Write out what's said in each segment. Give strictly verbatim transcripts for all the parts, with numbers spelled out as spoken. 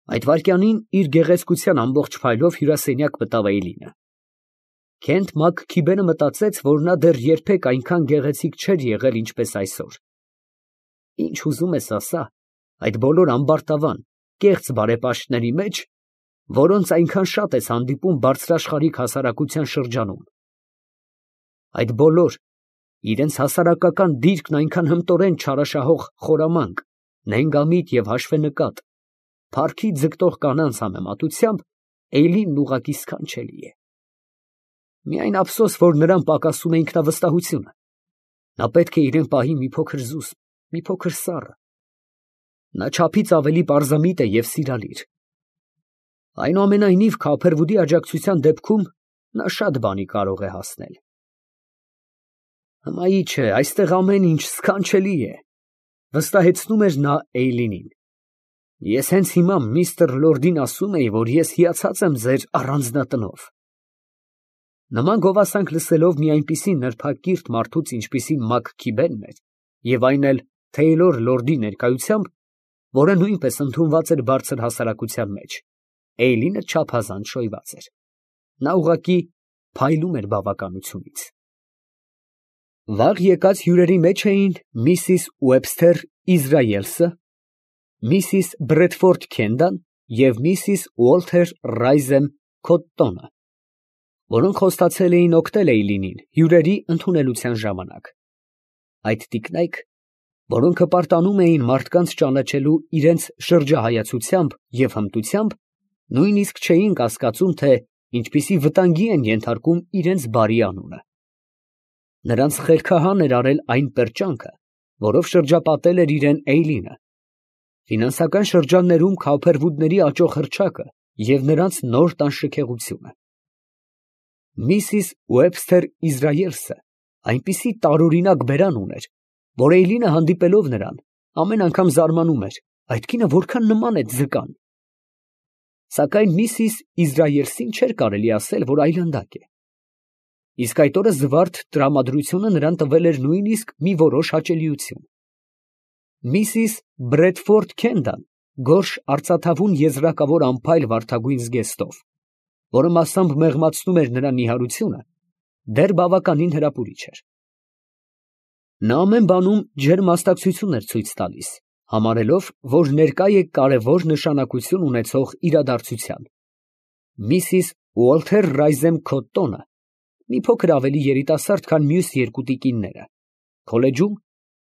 Այդ վայրկյանին իր գեղեցկության ամբողջ փայլով հյուրասենյակ մտավ Էյլինը։ Քենթ Մաքքիբենը մտածեց, որ նա դեռ երբեք այնքան գեղեցիկ չէր եղել, ինչպես այսօր։ Ինչ ուզում ես ասա, այդ բոլոր ամբարտավան, կեղծ բարեպաշտների մեջ, որոնց այնքան շատ ես հանդիպում բարձրաշխարհիկ հասարակության շրջանում, այդ բոլոր, իրենց հասարակական դիրքն այնքան հմտորեն չարաշահող խորամանկ, նենգամիտ և հաշվենկատ, փառքի ձգտող կանանց համեմատությամբ Էյլինն ուղղակի սքանչելի է։ Միայն ափսոս, որ նրան պակասում է ինքնավստահությունը։ Նա պետք է իրեն պահի մի փոքր զուսպ, մի փոքր սառը։ Նա չափից ավելի պարզամիտ է և սիրալիր։ Այնուամենայնիվ, Քափերվուդի աջակցության դեպքում նա շատ բանի կարող է հասնել։ Հմայի չէ, այստեղ ամեն ինչ սքանչելի է, վստահեցնում էր նա Էյլինին։ Ես հենց հիմա միստր Լորդին ասում էի, որ ես հիացած եմ ձեր առանձնատնով։ Նման գովասանք լսելով մի այնպիսի նրբակիրթ մարդուց, ինչպիսին Մաքքիբենն էր, և այն էլ Թեյլոր լորդի ներկայությամբ, որը նույնպես ընդունված էր բարձր հասարակության մեջ, Էյլինը չափազանց շոյված էր։ Նա ուղղակի փայլում էր բավականությունից։ Վաղ եկած հյուրերի մեջ էին միսիս Ուեբսթեր Իզրայելսը, միսիս Բրեդֆորդ Քենդան և միսիս Ուոլթեր Ռայզեմ Քոթտոնը, որոնք խոստացել էին օգնել Էյլինին հյուրերի ընդունելության ժամանակ։ Այդ տիկնայք, որոնք հպարտանում էին մարդկանց ճանաչելու իրենց շրջահայացությամբ և հմտությամբ, նույնիսկ չէին կասկածում, թե ինչպիսի վտանգի են ենթարկում իրենց բարի անունը։ Նրանց խելքահան էր արել այն պերճանքը, որով շրջապատել էր իրեն Էյլինը, ֆինանսական շրջաններում Քափերվուդների աճող հռչակը և նրանց նոր տան շքեղությունը։ Միսիս Ուեբսթեր Իզրայելսը այնպիսի տարօրինակ բերան ուներ, որ Էյլինը հանդիպելով նրան, ամեն անգամ զարմանում էր, այդ կինը որքան նման է ձկան։ Սակայն միսիս Իզրայելսին չէր կարելի ասել, որ այլանդակ է։ Իսկ այդ օրը զվարթ տրամադրությունը նրան տվել էր նույնիսկ մի որոշ հաճելիություն։ Միսիս Բրեդֆորդ Քենդան գորշ արծաթավուն եզրակավոր ամփայլ վարդագույն զգեստով, որը մասամբ մեղմացնում էր նրա նիհարությունը, դեռ բավականին հրապուրիչ էր։ Նա ամեն բանում ջերմ մասնակցություն էր ցույց տալիս, համարելով, որ ներկա է կարևոր նշանակություն ունեցող իրադարձության։ Միսիս Ուոլթեր Ռայզեմ Քոթտոնը մի փոքր ավելի երիտասարդ, քան մյուս երկու տիկինները, քոլեջում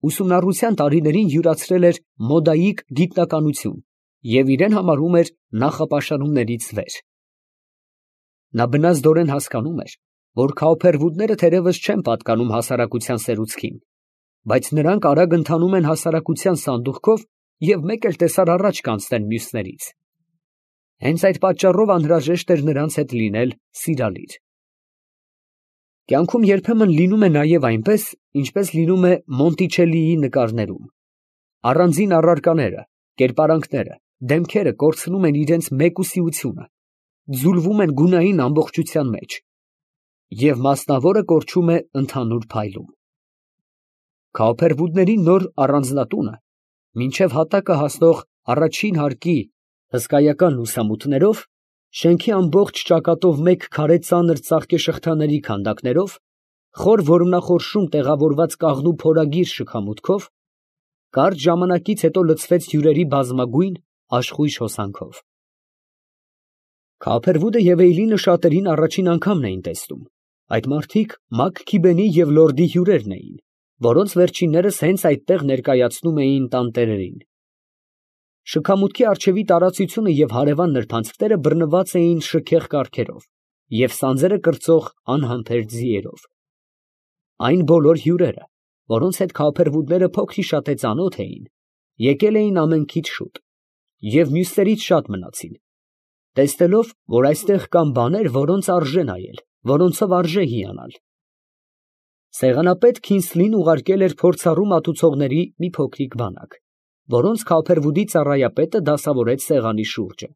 ուսումնառության տարիներին յուրացրել էր մոդայիկ գիտնականություն և իրեն համարում էր նախապաշարումներից վեր։ Նա բնազդորեն հասկանում էր, որ Քափերվուդները թերևս չեն պատկանում հասարակության սերուցքին, բայց նրանք արագ ընթանում են հասարակության սանդուղքով և մեկ էլ տեսար առաջ կանցնեն մյուսներից։ Հենց այդ պատճառով անհրաժեշտ էր նրանց հետ լինել սիրալիր։ Կյանքում երբեմն լինում է նաև այնպես, ինչպես լինում է Մոնտիչելլիի նկարներում։ Առանձին առարկաները, կերպարանքները, դեմքերը կորցնում են իրենց մեկուսիությունը, ձուլվում են գունային ամբողջության մեջ, և մասնավորը կորչում է ընդհանուր փայլում։ Քափերվուդների նոր առանձնատունը, մինչև հատակը հասնող առաջին հարկի հսկայական լուսամուտներով, շենքի ամբողջ ճակատով մեկ քարե ծանր ծաղկեշղթաների քանդակներով, խոր որմնախորշում տեղավորված կաղնու փորագիր շքամուտքով, կարճ ժամանակից հետո լցվեց հյուրերի բազմագույն աշխույժ հոսանքով։ Քափերվուդը և Էյլինը շատերին առաջին անգամն էին տեսնում։ Այդ մարդիկ Մաքքիբենի և լորդի հյուրերն էին, որոնց վերջիններս հենց այդտեղ ներկայացնում էին տանտերերին։ Շքամուտքի առջևի տարածությունը և հարևան նրբանցքները բռնված էին շքեղ կառքերով և սանձերը կրծող անհամբեր ձիերով։ Այն բոլոր հյուրերը, որոնց հետ Քափերվուդները փոքր-ի-շատե ծանոթ էին, եկել էին ամենքից շուտ և մյուսներից շատ մնացին, տեսնելով, որ այստեղ կան բաներ, որոնց արժե նայել, որոնցով արժե հիանալ։ Սեղանապետ Քինսլին ուղարկել էր փորձառու մատուցողների մի փոքրիկ բանակ, որոնց Քափերվուդի ծառայապետը դասավորեց սեղանի շուրջը։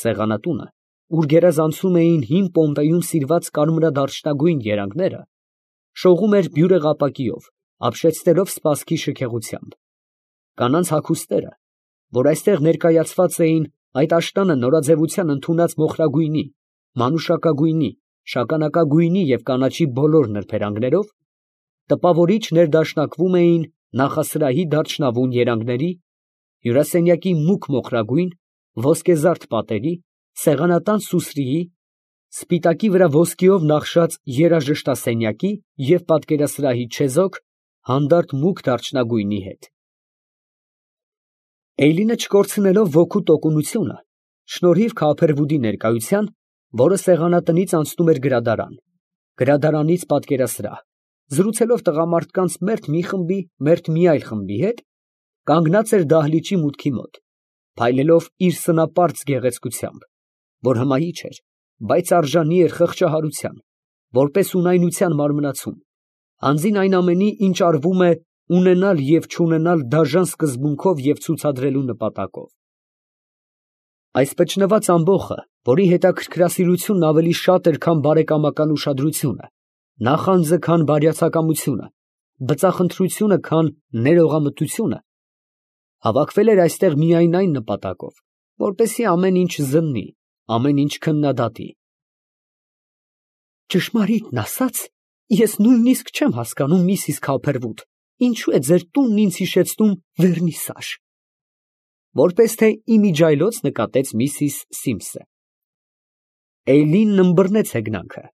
Սեղանատունը, ուր գերազանցում էին հին Պոմպեյում սիրված կարմրադարչնագույն երանգները, շողում էր բյուրեղապակիով, ապշեցնելով սպասքի շքեղությամբ։ Կանանց հագուստները, որ այստեղ ներկայացված էին այդ աշտանը նորաձևության ընդունած մոխրագույնի, մանուշակագույնի, շագանակագույնի և կանաչի բոլոր նրբերանգներով, տպավորիչ ներդաշնակվում էին նախասրահի դարչնավուն երանգների, հյուրասենյակի մուգ մոխրագույն, ոսկեզարդ պատերի, սեղանատան սուսրիի, սպիտակի վրա ոսկիով նախշած երաժշտասենյակի և պատկերասրահի չեզոք, հանդարտ մուգ դարչնագույնի հետ։ Էյլինը չկորցնելով ոգու տոկունությունը, շնորհիվ Քափերվուդի ներկայության, որը սեղանատնից անցնում էր գրադարան, գրադարանից պատկերասրահ, զրուցելով տղամարդկանց մերթ մի խմբի, մերթ մի այլ խմբի հետ, կանգնած էր դահլիճի մուտքի մոտ, փայլելով իր սնապարծ գեղեցկությամբ, որ հմայիչ էր, բայց արժանի էր խղճահարության, որպես ունայնության մարմնացում, անձին այն ամենի, ինչ արվում է ունենալ և չունենալ դաժան սկզբունքով և ցուցադրելու նպատակով։ Այս փչնված ամբոխը, որի հետաքրքրասիրությունն ավելի շատ էր, քան բարեկամական ուշադրությունը, նախանձը, քան բարյացակամությունը, բծախնդրությունը, քան ներողամտությունը, հավաքվել էր այստեղ միայն այն նպատակով, որպեսզի ամեն ինչ զննի, ամեն ինչ քննադատի։ Ճշմարիտն ասած, ես նույնիսկ չեմ հասկանում, միսիս Քափերվուդ, ինչու է ձեր տունն ինձ հիշեցնում Վերնիսաժ, որպես թե իմիջիայլոց նկատեց միսիս Սիմսը։ Էյլինն ըմբռնեց հեգնանքը,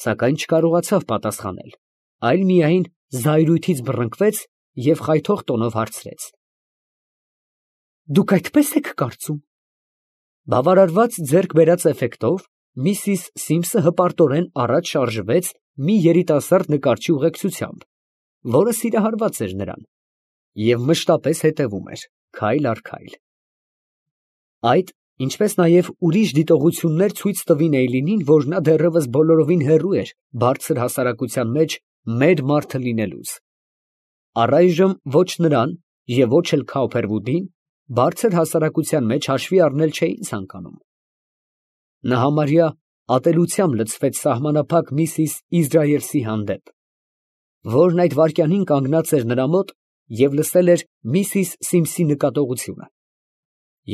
սակայն չկարողացավ պատասխանել, այլ միայն զայրույթից բռնկվեց և խայթող տոնով հարցրեց. Դուք այդպես եք կարծում։ Բավարարված ձեռք բերած էֆեկտով միսիս Սիմսը հպարտորեն առաջ շարժվեց մի երիտասարդ նկարչի ուղեկցությամբ, որը սիրահարված էր նրան և մշտապես հետևում էր, քայլ առ քայլ։ Այդ, ինչպես նաև ուրիշ դիտողություններ ցույց տվին Էյլինին, որ նա դեռևս բոլորովին հեռու էր բարձր հասարակության մեջ մեր մարդը լինելուց։ Առայժմ ոչ նրան և ոչ էլ Քափերվուդին բարձր հասարակության մեջ հաշվի առնել չէին ցանկանում։ Նա համարյա ատելությամբ լցվեց սահմանափակ միսիս Իզրայելցի հանդեպ, որն այդ վայրկյանին կանգնած էր նրա մոտ և լսել էր միսիս Սիմսի նկատողությունը,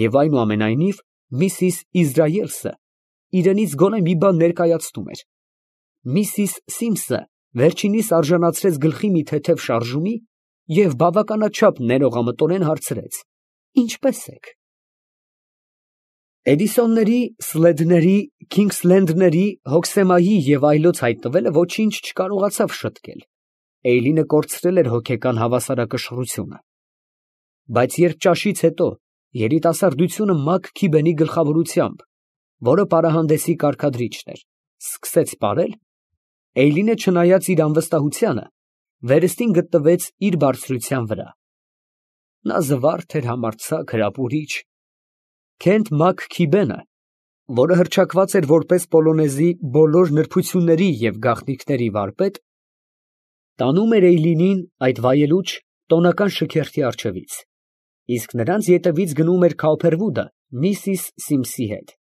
և այնուամենայնիվ միսիս Իզրայելսը իրենից գոնե մի բան ներկայացնում էր։ Միսիս Սիմսը վերջինիս արժանացրեց գլխի մի թեթև շարժումի և բավականաչափ ներողամտորեն հարցրեց. Ինչպե՞ս եք։ Էդիսոնների, Սլեդների, Քինգսլենդների, Հոքսեմայի և այլոց հայտնվելը ոչինչ չկարողացավ շտկել։ Էյլինը կորցրել էր հոգեկան հավասարակշռությունը։ Բայց երբ ճաշից հետո երիտասարդությունը Մաքքիբենի գլխավորությամբ, որը պարահանդեսի կարգադրիչն էր, սկսեց պարել, Էյլինը, չնայած իր անվստահությանը, վերստին գտնվեց իր բարձրության վրա։ Նա զվարթ էր, համարձակ, հրապուրիչ։ Քենթ Մաքքիբենը, որը հռչակված էր որպես Պոլոնեզի բոլոր նրբությունների և գաղտնիքների վարպետ, տանում էր Էյլինին այդ վայելուչ, տոնական շքերթի առջևից, իսկ նրանց ետևից գնում էր Քափերվուդը միսիս Սիմսի հետ։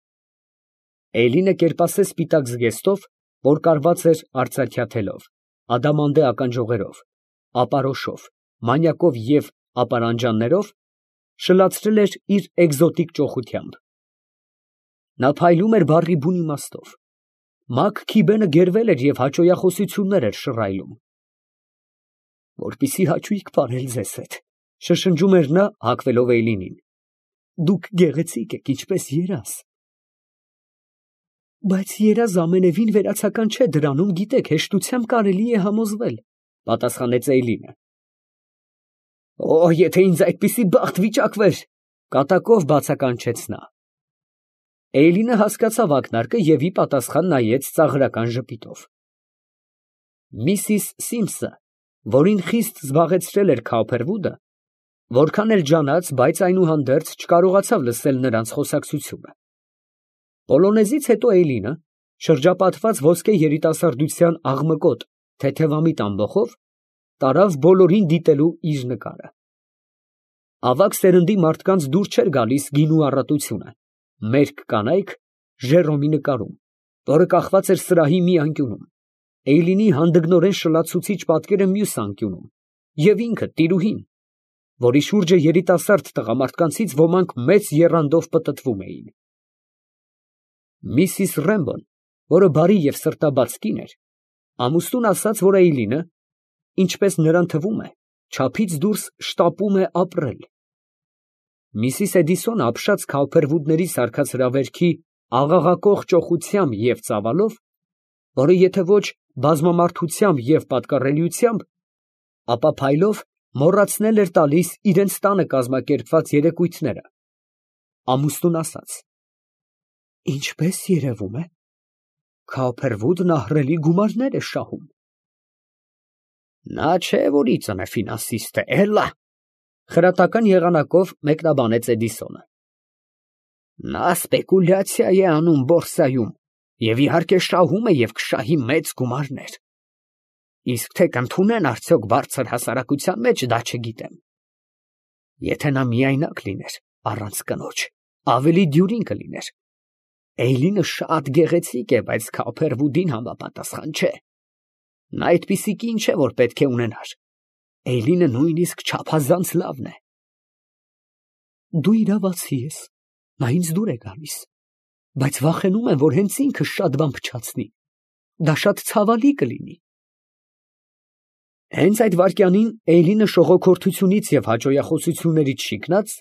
Էյլինը կերպասե սպիտակ զգեստով, որ կարված էր արծաթյա թելով, ադամանդե ականջողերով, ապարոշով, մանյակով և ապարանջաններով, շլացրել էր իր էկզոտիկ ճոխությամբ։ Նա փայլում էր բառի բուն իմաստով։ Մաքքիբենը գերվել էր և հաճոյախոսություններ էր շռայլում։ Որպեսզի հաճույք պարել ձեզ հետ, շշնջում էր նա, հագվելով Էյլինին, դուք գեղեցիկ եք, ինչպես երազ։ Բայց երազ ամենևին վերացական չէ, դրանում, գիտեք, հեշտությամբ կարելի է համոզվել, պատասխանեց Էյլինը։ Օ, եթե ինձ այդպիսի բախտ վիճակվեր, կատակով բացականչեց նա։ Էյլինը հասկացավ ակնարկը և ի պատասխան նայեց ծաղրական ժպիտով։ Միսիս Սիմսը, որին խիստ զբաղեցրել էր Քափերվուդը, որքան էլ ջանաց, բայց այնուհանդերձ չկարողացավ լսել նրանց խոսակցությունը։ Պոլոնեզից հետո Էյլինը, շրջապատված ոսկե երիտասարդության աղմկոտ, թեթևամիտ ամբոխով, տարավ բոլորին դիտելու իր նկարը։ Ավագ սերնդի մարդկանց դուր չէր գալիս գինու առատությունը, մերկ կանայք Ժերոմի նկարում, որը կախված էր սրահի մի անկյունում, Էյլինի հանդգնորեն շլացուցիչ պատկերը մյուս անկյունում, և ինքը տիրուհին, որի շուրջը երիտասարդ տղամարդկանցից ոմանք մեծ եռանդով պտտվում էին։ Միսիս Ռեմբոն, որը բարի և սրտաբաց կին էր, ամուսնուն ասաց, որ Էյլինը, ինչպես նրան թվում է, չափից դուրս շտապում է ապրել։ Միսիս Էդիսոնը ապշած քալփերվուդների սարքած հրավերքի աղաղակող ճոխությամբ և ծավալով, որը եթե ոչ բազմամարդությամբ և պատկառելիությամբ, ապա փայլով մոռացնել էր տալիս իրենց տանը կազմակերպված երեկույթները, ամուսնուն ասաց. «Ինչպես երևում է, Քալփերվուդն ահռելի գումարներ է շահում»։ «Նա չէ, որ ի ծնե ֆինանսիստ է, էլա», խրատական եղանակով մեկնաբանեց Էդիսոնը։ «Նա սպեկուլյացիա է անում բորսայում և իհարկե շահում է և կշահի մեծ գումարներ, իսկ թե կընդունեն արդյոք բարձր հասարակության մեջ, դա չգիտեմ։ Եթե նա միայնակ լիներ, առանց կնոջ, ավելի դյուրին կլիներ։ Էյլինը շատ գեղեցիկ է, բայց Քալփերվուդին համապատասխան չէ։ Նա այդպիսի կին չէ, որ պետք է ունենար։ Էյլինը նույնիսկ չափազանց լավն է»։ «Դու իրավացի ես, նա ինձ դուր է գալիս, բայց վախենում եմ, որ հենց ինքը շատ բան փչացնի, դա շատ ցավալի կլինի»։ Հենց այդ վայրկյանին Էյլինը շողոքորթությունից և հաճոյախոսություններից շիկնած,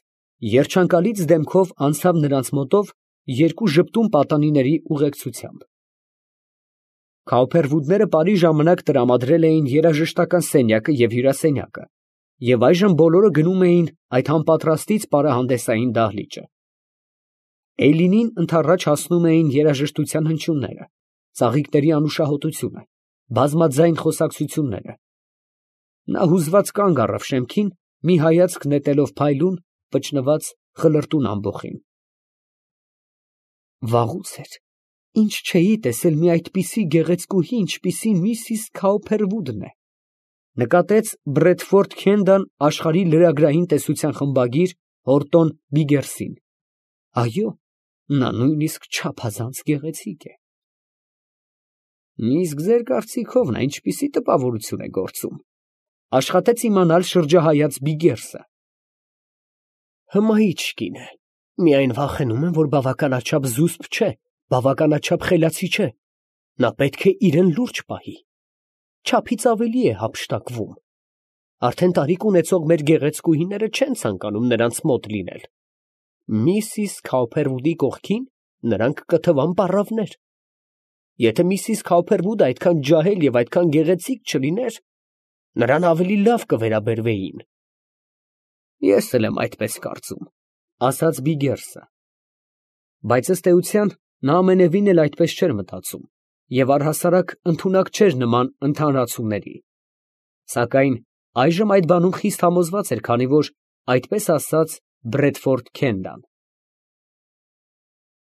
երջանկալից դեմքով անցավ նրանց մոտով երկու ժպտուն պատանիների ուղեկցությամբ։ Քալփերվուդները պարի ժամանակ տրամադրել էին երաժշտական սենյակը և հյուրասենյակը, և այժմ բոլորը գնում էին այդ անպատրաստից պարահանդեսային դահլիճը։ Էյլինին ընդառաջ հասնում էին երաժշտության հնչյունները, ծաղիկների անուշահոտությունը, բազմաձայն խոսակցությունները։ Նա հուզված կանգ առավ շեմքին, մի հայացք նետելով փայլուն, վճռված խլրտուն ամբոխին։ Վաղուց էր, ինչ չէի տեսել մի այդպիսի գեղեցկուհի, ինչպիսին միսիս Քալփերվուդն է, նկատեց Բրեդֆորդ Քենդան աշխարհի լրագրային տեսության խմբագիր Հորտոն Բիգերսին։ Այո, նա նույնիսկ չափազանց գեղեցիկ է։ Իսկ ձեր կարծիքով նա ինչպիսի տպավորություն է գործում, աշխատեց իմանալ շրջահայաց Բիգերսը։ Հմայիչ կին է, միայն վախենում եմ, որ բավականաչափ զուսպ չէ, բավականաչափ խելացի չէ, նա պետք է իրան լուրջ պահի, չափից ավելի է հափշտակվում, արդեն տարիք ունեցող մեր գեղեցկուհիները չեն ցանկանում նրանց մոտ լինել, միսիս Քալփերվուդի կողքին նրանք կթվան պառավներ, եթե միսիս Քալփերվուդը այդքան ջահել և այդքան գեղեցիկ չլիներ, նրան ավելի լավ կվերաբերվեին։ Ես էլ եմ այդպես կարծում, ասաց Բիգերսը, բայց ըստ էության նա ամենևին էլ այդպես չէր մտածում և առհասարակ ընդունակ չէր նման ընդհանրացումների, սակայն այժմ այդ բանում խիստ համոզված էր, քանի որ այդպես ասաց Բրեդֆորդ Քենդան։